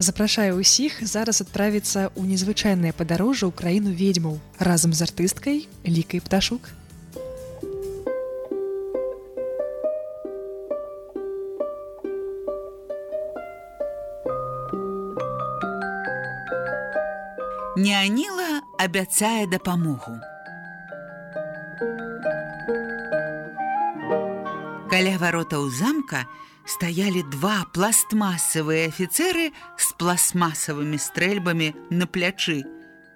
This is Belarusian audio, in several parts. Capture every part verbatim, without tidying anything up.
Запрашаю ўсіх зараз адправіцца ў незвычайнае падарожжа ў краіну ведьмаў разам з артысткай Лікай Пташук. Няніла абяцае дапамогу. Каля варотаў замка стаялі два пластмасавыя афіцэры з пластмасавымі стрэльбамі на плячы.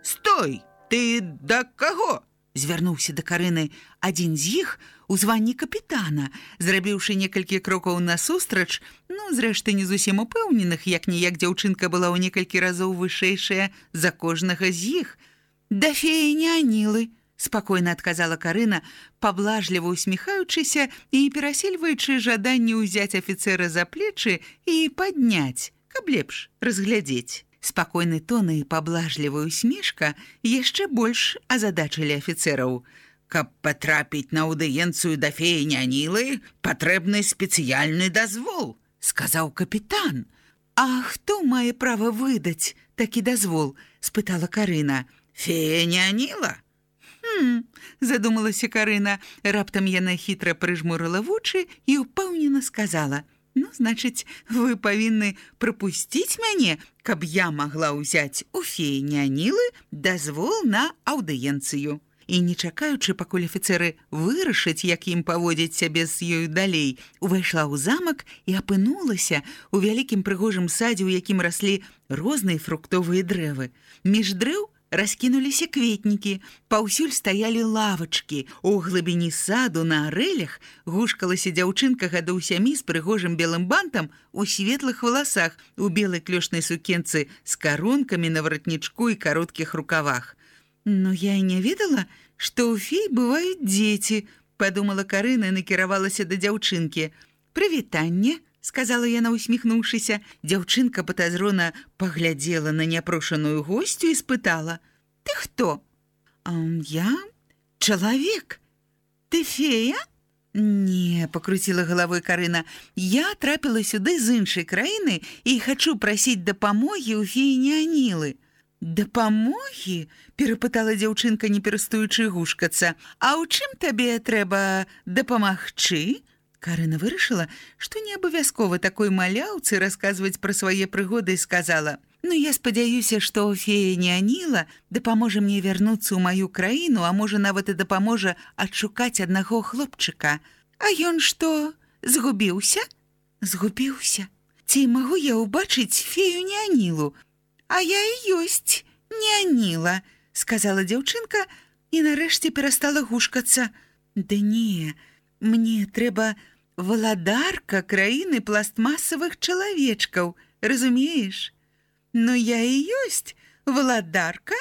«Стой! Ты да каго?» – звярнуўся да Карыны адзін з іх у званні капітана, зрабіўшы некалькі крокаў насустрач, ну, зрэшты, не зусім упэўненых, як-ніяк дзяўчынка была ў некалькі разоў вышэйшая за кожнага з іх. «Да феі Нянілы», – спакойна адказала Карына, паблажліва усміхаючыся і перасельваючы жаданне ўзяць афіцэра за плечы і падняць, каб лепш разглядзець. Спакойны тон і паблажлівая усмешка яшчэ больш азадачылі афіцэраў. «Каб патрапіць на аўдыенцыю да феі Нянілы, патрэбны спецыяльны дазвол», – сказаў капітан. «А хто мае права выдаць такі дазвол?» – спытала Карына. «Фея Няніла». «Хм», – задумалася Карына. Раптам яна хітра прыжмурыла вочы і ўпэўнена сказала: «Ну, значыць, вы павінны прапусціць мяне, каб я магла ўзяць у феі Нянілы дазвол на аўдыенцыю». І, не чакаючы, пакуль афіцэры вырашаць, як ім паводзіць сябе з ёю далей, увайшла ў замак і апынулася ў вялікім прыгожым садзе, у якім раслі розныя фруктовыя дрэвы. Між дрэў раскінуліся кветнікі, паўсюль стаялі лавачкі. У глыбіні саду на арэлях гушкалася дзяўчынка гадоў сямі з прыгожым белым бантам у светлых валасах, у белай клёшнай сукенцы з карункамі на варатнічку і кароткіх рукавах. «Ну, я і не ведала, што ў фей бываюць дзеці», – падумала Карына і накіравалася да дзяўчынкі. «Прывітанне», – сказала яна, усміхнуўшыся. Дзяўчынка патазрона паглядзела на няпрошаную госцю і спытала: «Ты хто?» «А я чалавек». «Ты фея?» «Не», – пакруціла галавой Карына. «Я трапіла сюды з іншай краіны і хачу прасіць дапамогі ў феі Нянілы». «Дапамогі?» – перапытала дзяўчынка, не перастаючы гушкацца. «А ў чым табе трэба дапамагчы?» Карына вырашыла, што не абавязкова такой маляўцы расказваць пра свае прыгоды, і сказала: «Ну, я спадзяюся, што фея Няніла дапаможа мне вярнуцца ў маю краіну, а можа, нават і дапаможа адшукаць аднаго хлопчыка». «А ён што, згубіўся?» «Згубіўся. Ці магу я ўбачыць фею Нянілу?» «А я і ёсць Няніла», – сказала дзяўчынка і нарэшце перастала гушкацца. «Да не, мне трэба валадарка краіны пластмасавых чалавечкаў, разумееш? Ну, я і ёсць валадарка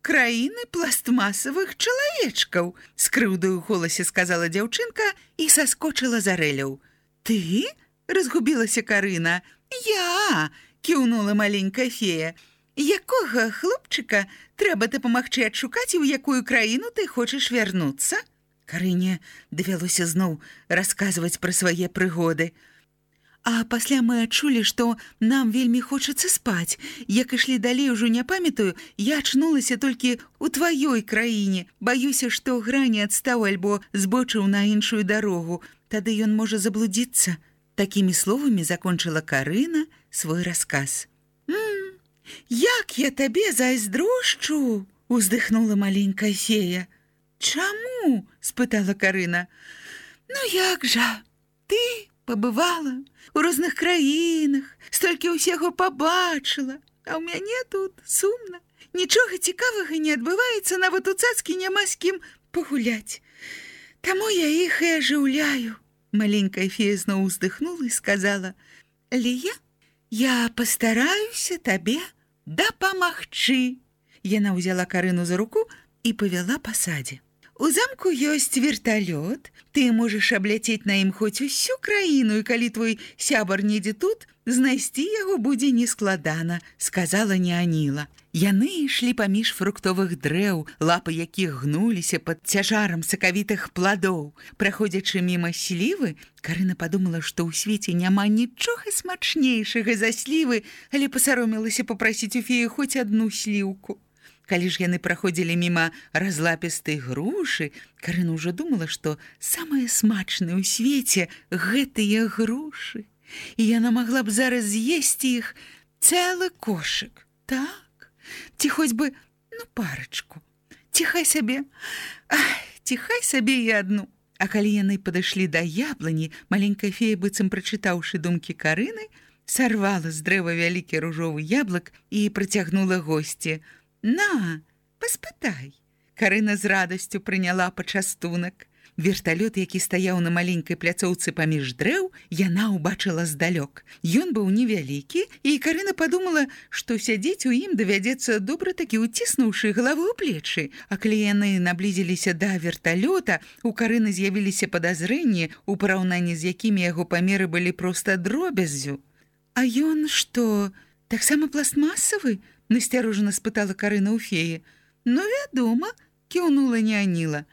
краіны пластмасавых чалавечкаў», – з крыўдаю ў голасе сказала дзяўчынка і саскочыла з арэляў. «Ты?» – разгубілася Карына. «Я!» – кіўнула маленькая фея. «Якога хлопчыка трэба дапамагчы адшукаць, і ў якую краіну ты хочаш вярнуцца?» Карыне давялося зноў расказваць пра свае прыгоды. «А пасля мы адчулі, што нам вельмі хочацца спаць. Як ішлі далей, ужо не памятаю, я ачнулася толькі ў тваёй краіне. Баюся, што грані адстаў альбо збочыў на іншую дарогу. Тады ён можа заблудзіцца». Такімі словамі закончыла Карына свой расказ. «М, як я табе зайздрошчу!» – уздыхнула маленькая фея. «Чаму?» – спытала Карына. «Ну як жа, ты пабывала ў розных краінах, столькі ўсяго пабачыла, а ў мяне тут сумна. Нічога цікавага не адбываецца, нават у цацкі няма з кім пагуляць. Таму я іх і ажыўляю». Маленькая фея зноў уздыхнула і сказала: «Лія, я пастараюся табе дапамагчы». Яна ўзяла Карыну за руку і павяла па садзе. «У замку ёсць верталёт, ты можаш абляцець на ім хоць усю краіну, і калі твой сябар недзе тут, знайсці яго будзе нескладана, сказала Неаніла. Яны ішлі паміж фруктовых дрэў, лапы якіх гнуліся пад цяжарам сакавітых пладоў. Праходзячы міма слівы, Карына падумала, што ў свеце няма нічога смачнейшага за слівы, але пасаромілася папрасіць у феі хоць адну сліўку. Калі ж яны праходзілі міма разлапістай грушы, Карына ўжо думала, што самае смачнае ў свеце гэтыя грушы. І яна магла б зараз з'есці іх цэлы кошык. Так? Ці хоць бы, ну, парачку. Ці хай сабе, ай, ці хай сабе і адну. А калі яны падышлі да яблыні, маленькая фея, быццам прачытаўшы думкі Карыны, сарвала з дрэва вялікі ружовы яблык і працягнула госці. На, паспытай. Карына з радасцю прыняла пачастунак. Верталёт, які стаяў на маленькай пляцоўцы паміж дрэў, яна ўбачыла здалёк. Ён быў невялікі, і Карына падумала, што сядзець у ім давядзецца добра такі уціснуўшы галаву ў плечы. А калі яны наблізіліся да верталёта, у Карыны з'явіліся падазрэнні, у параўнанні з якімі яго памеры былі проста дробяззю. А ён што, таксама пластмасавы? Насцярожана спытала Карына ў феі. Ну, вядома, кіўнула Неаніла.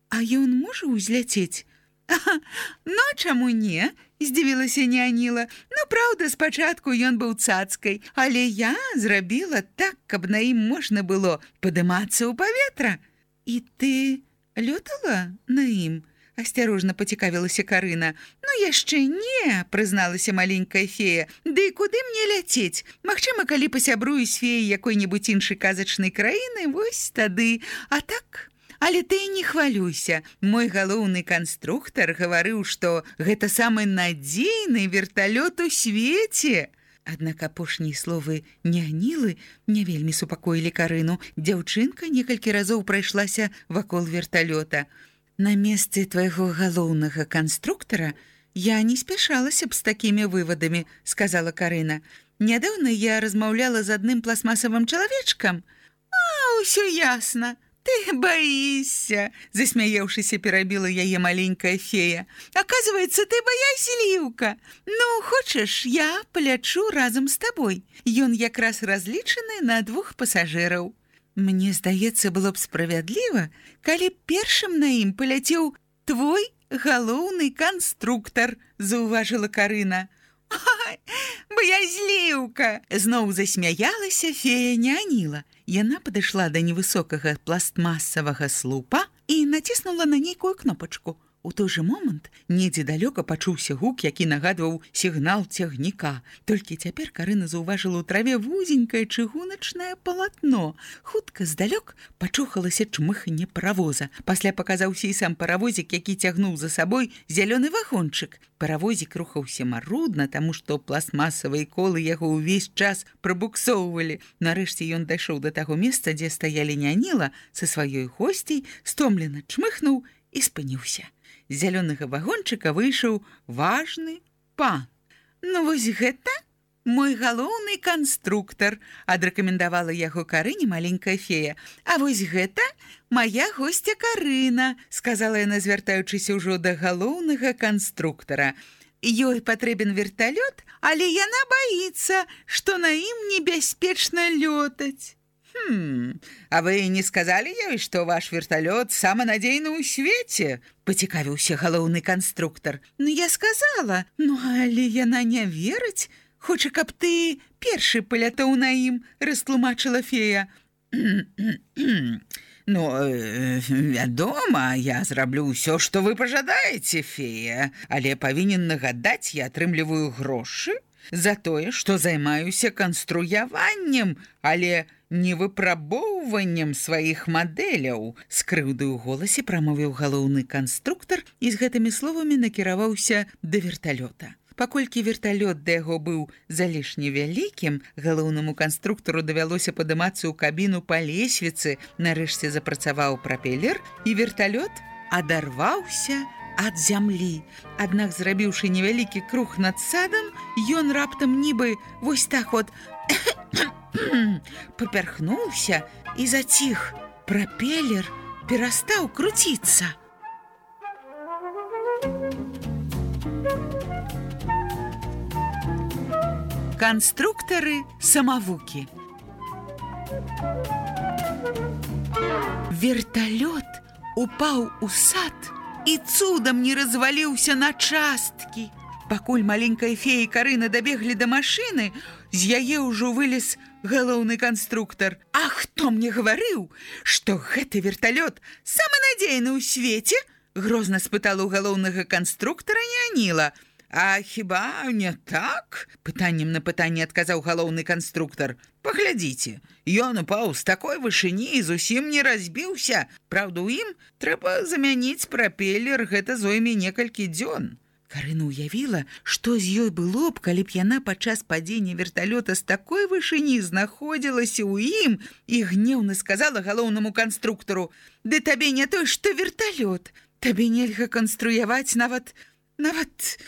А ён можа ўзляцець? Ага, ну, чаму не? Здзівілася Неаніла. Ну, праўда, спачатку ён быў цацкай, але я зрабіла так, каб на ім можна было падымацца ў паветра. І ты лётала на ім? Асцярожна пацікавілася Карына. Ну, яшчэ не, прызналася маленькая фея. Ды куды мне ляцець? Магчыма, калі пасябрую з феяй якой-небудзь іншай казачнай краіны, вось тады. А так... Але ты не хвалюйся. Мой галоўны канструктар гаварыў, што гэта самы надзейны верталёт у свеце. Аднак апошнія словы Неанілы не вельмі супакоілі Карыну. Дзяўчынка некалькі разоў прайшлася вакол верталёта. На месцы твайго галоўнага канструктара я не спяшалася б з такімі вывадамі, сказала Карына. Нядаўна я размаўляла з адным пластмасавым чалавечкам. А, ўсё ясна. Ты боишься, засмяяўшыся, перабіла яе маленькая фея. Оказывается, ты боязліўка. Ну, хочаш, я палячу разам з табой. Ён якраз разлічаны на двух пасажыраў. Мне здаецца, было б справядліва, калі першым на ім паляцеў твой галоўны канструктар, заўважыла Карына. Ай, боязліўка! Зноў засмяялася фея Неаніла. Яна падышла да невысокага пластмасавага слупа і націснула на нейкую кнопачку. У той жа момант недзе далёка пачуўся гук, які нагадваў сігнал цягніка. Толькі цяпер Карына заўважыла ў траве вузенькае чыгуначнае палатно. Хутка здалёк пачухалася чмыханне паравоза. Пасля паказаўся і сам паравозік, які цягнуў за сабой зялёны вагончык. Паравозік рухаўся марудна, таму што пластмасавыя колы яго ўвесь час прабуксоўвалі. Нарэшце ён дайшоў да таго месца, дзе стаялі Неаніла са сваёй госцей, стомлена чмыхнуў і спыніўся. З зялёнага вагончыка выйшаў важны пан. Ну вось гэта мой галоўны канструктар, адрэкамендавала яго Карыне маленькая фея. А вось гэта мая госця Карына, сказала яна, звяртаючыся ўжо да галоўнага канструктара. Ёй патрэбен верталёт, але яна баіцца, што на ім небяспечна лётаць. Хм, а вы не сказали ёй, што ваш верталёт самы надзейны ў свеце? Пацікавіўся галоўны канструктар. Ну, я сказала, ну, але яна не верыць. Хоча, каб ты першы палятаў на ім, растлумачыла фея. Ну, вядома, я зраблю ўсё, што вы пажадаеце, фея, але павінен нагадаць, я атрымліваю грошы за тое, што займаюся канструяваннем, але не выпрабоўваннем сваіх мадэляў. З крыўдай у голасе прамовіў галоўны канструктар і з гэтымі словамі накіраваўся да верталёта. Паколькі верталёт да яго быў залішне вялікім, галоўнаму канструктару давялося падымацца ў кабіну па лесвіцы. Нарэшце запрацаваў прапелер, і верталёт адарваўся ад зямлі. Аднак, зрабіўшы невялікі круг над садам, ён раптам нібы вось так от папярхнуўся і заціх. Прапелер перастаў круціцца. Канструктары-самавукі. Верталёт упаў у сад і цудам не разваліўся на часткі. Пакуль маленькая фея і Карына дабеглі да машыны, з яе ўжо вылез галоўны канструктар. А хто мне гаварыў, што гэты верталёт самы надзейны ў свеце? Грозна спытала ў галоўнага канструктара Няніла. А хіба не так? Пытаннем на пытанне адказаў галоўны канструктар. Паглядзіце, ён упаў з такой вышыні і зусім не разбіўся. Праўда, у ім трэба замяніць прапелер, гэта зойме некалькі дзён. Карына ўявіла, што з ёй было б, калі б яна падчас падзення верталёта з такой вышыні знаходзілася ў ім і гневна сказала галоўнаму канструктару: «Ды табе не той, што верталёт. Табе нельга канструяваць нават... нават...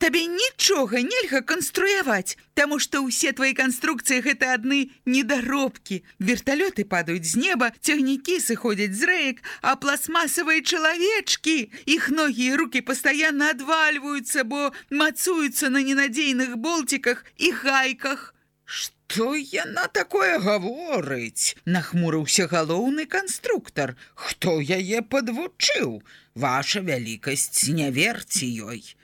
Табе нічога нельга канструяваць, таму што ўсе твои канструкцыі гэта адны недаробкі. Верталёты падаюць з неба, цягнікі сыходзяць з рэек, а пластмасавыя чалавечкі, іх ногі і рукі пастаянна адвальваюцца, бо мацуюцца на ненадзейных болціках і гайках». «Што яна такое гаворыць?» – нахмурыўся галоўны канструктар. «Хто яе падвучыў? Ваша вялікасць, не верце ёй».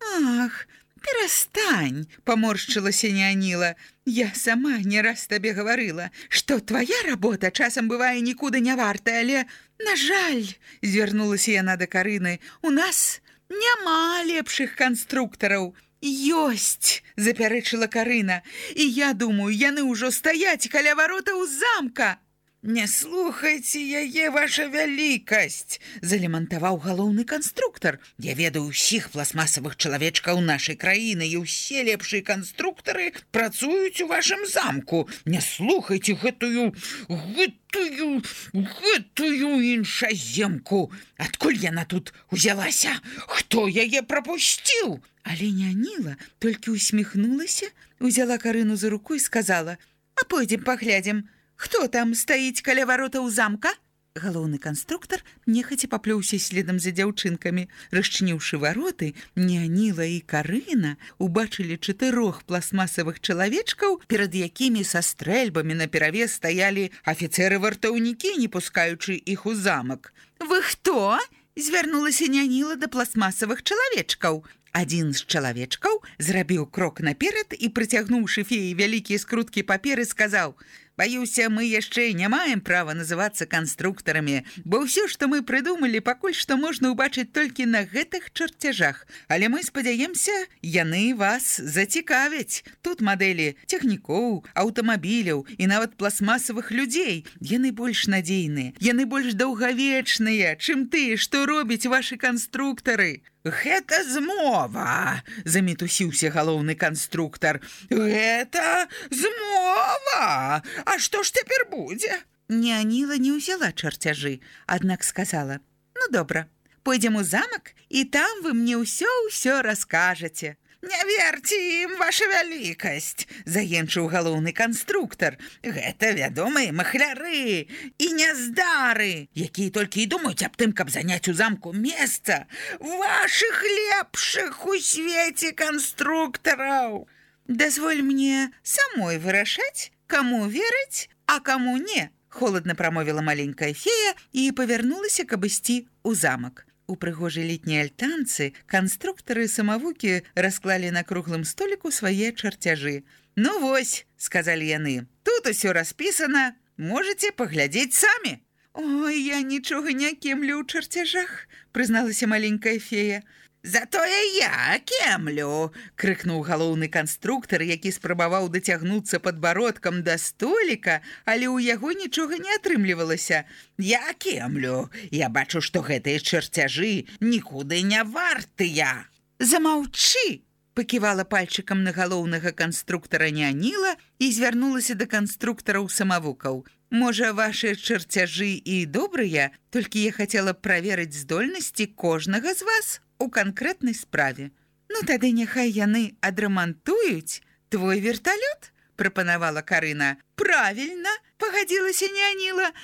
«Ах, перастань!» – поморщилася Няніла. «Я сама не раз табе гаварыла, што твоя работа часам бывае нікуды не вартая, але, на жаль, – звярнулася яна да Карыны, – у нас няма лепшых канструктараў». «Ёсць!» – запярэчыла Карына. «І я думаю, яны ўжо стаяць каля варотаў замка». «Не слухайце яе, ваша вялікасць!» – залемантаваў галоўны канструктар. «Я ведаю ўсіх пластмасавых чалавечкаў нашай краіны, і ўсе лепшыя канструктары працуюць у вашым замку. Не слухайце гэтую, гэтую, гэтую іншаземку. Адкуль яна тут узялася? Хто яе прапусціў?» Але Няніла толькі усміхнулася, узяла Карыну за руку і сказала: «А пойдзем паглядзім, хто там стаіць каля варотаў замка?» Галоўны канструктар нехаця паплёўся следам за дзяўчынкамі. Расчыніўшы вароты, Няніла і Карына убачылі чатырох пластмасавых чалавечкаў, перад якімі са стрэльбамі наперавес стаялі афіцэры-вартаўнікі, не пускаючы іх у замак. «Вы хто?» – звярнулася Няніла да пластмасавых чалавечкаў. Адзін з чалавечкаў зрабіў крок наперад і, прыцягнуўшы феі вялікія скруткі паперы, сказаў: «Баюся, мы яшчэ не маем права называцца канструктарамі, бо ўсё, што мы прыдумалі, пакуль што можна ўбачыць толькі на гэтых чарцяжах. Але мы спадзяемся, яны вас зацікавяць. Тут мадэлі цягнікоў, аўтамабіляў і нават пластмасавых людзей. Яны больш надзейныя, яны больш даўгавечныя, чым тыя, што робяць вашы канструктары». «Гэта змова!» – замітусіўся галоўны канструктар. «Гэта змова! А што ж цяпер будзе?» Няніла не ўзяла чарцяжы, аднак сказала: «Ну, добра, пойдзем у замак, і там вы мне ўсё-ўсё раскажаце». «Не верце ім, ваша вялікасць!» – заенчыў галоўны канструктар. «Гэта вядомыя махляры і няздары, якія толькі і думаюць аб тым, каб заняць у замку месца вашых лепшых у свеце канструктараў. Дазволь мне самой вырашаць, каму верыць, а каму не», – холодна прамовіла маленькая фея і павярнулася, каб ісці ў замак. У прыгожай летняй альтанцы канструктары-самавукі расклалі на круглым століку свае чарцяжы. «Ну вось», – сказалі яны, – «тут усё распісана, можаце паглядзець самі». «Ой, я нічога не кемлю ў чарцяжах», – прызналася маленькая фея. «Затое я кемлю!» – крыкнуў галоўны канструктар, які спрабаваў дацягнуцца падбародкам да століка, але ў яго нічога не атрымлівалася. «Я кемлю! Я бачу, што гэтыя чарцяжы нікуды не вартыя!» «Замаўчы!» – паківала пальчыкам на галоўнага канструктара Няніла і звярнулася да канструктараў-самавукаў. «Можа, вашы чарцяжы і добрыя, толькі я хацела праверыць здольнасці кожнага з вас у канкрэтнай справе. Ну, тады няхай яны адрамантуюць твой верталёт», – прапанавала Карына. «Правільна», – пагадзілася Няніла.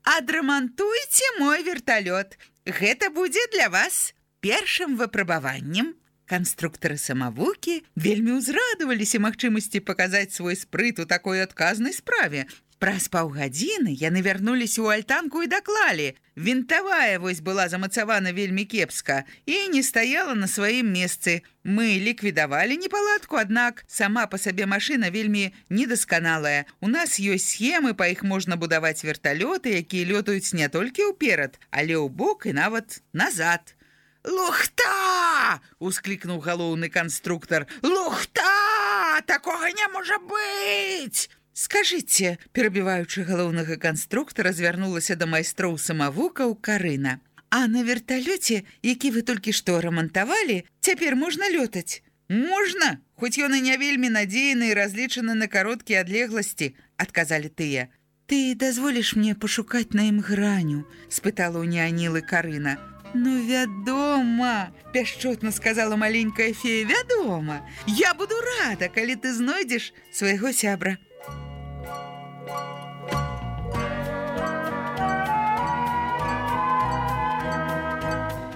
«Адрамантуйце мой верталёт. Гэта будзе для вас першым выпрабаваннем». Канструктары самавукі вельмі ўзрадаваліся магчымасці паказаць свой спрыт у такой адказнай справе. Праз паўгадзіны яны вярнуліся ў альтанку і даклалі. Вінтавая вось была замацавана вельмі кепска і не стаяла на сваім месцы. Мы ліквідавалі непаладку, аднак сама па сабе машына вельмі недасканалая. У нас ёсць схемы, па іх можна будаваць верталёты, якія лётаюць не толькі ўперад, але ў бок і нават назад. «Лухта!» – усклікнуў галоўны канструктар. «Лухта! Такога не можа быць!» «Скажыце», перабіваючы галоўнага канструктара, звярнулася да майстроў самавукаў Карына. «А на верталёце, які вы толькі што рамантавалі, цяпер можна лётаць?» «Можна, хоць ён і не вельмі надзейны і разлічаны на кароткія адлегласці», адказалі тыя. «Ты дазволіш мне пашукаць на ім граню?» спытала ў няанілы Карына. «Ну, вядома!» – пяшчотна сказала маленькая фея. «Вядома! Я буду рада, калі ты знойдзеш свайго сябра».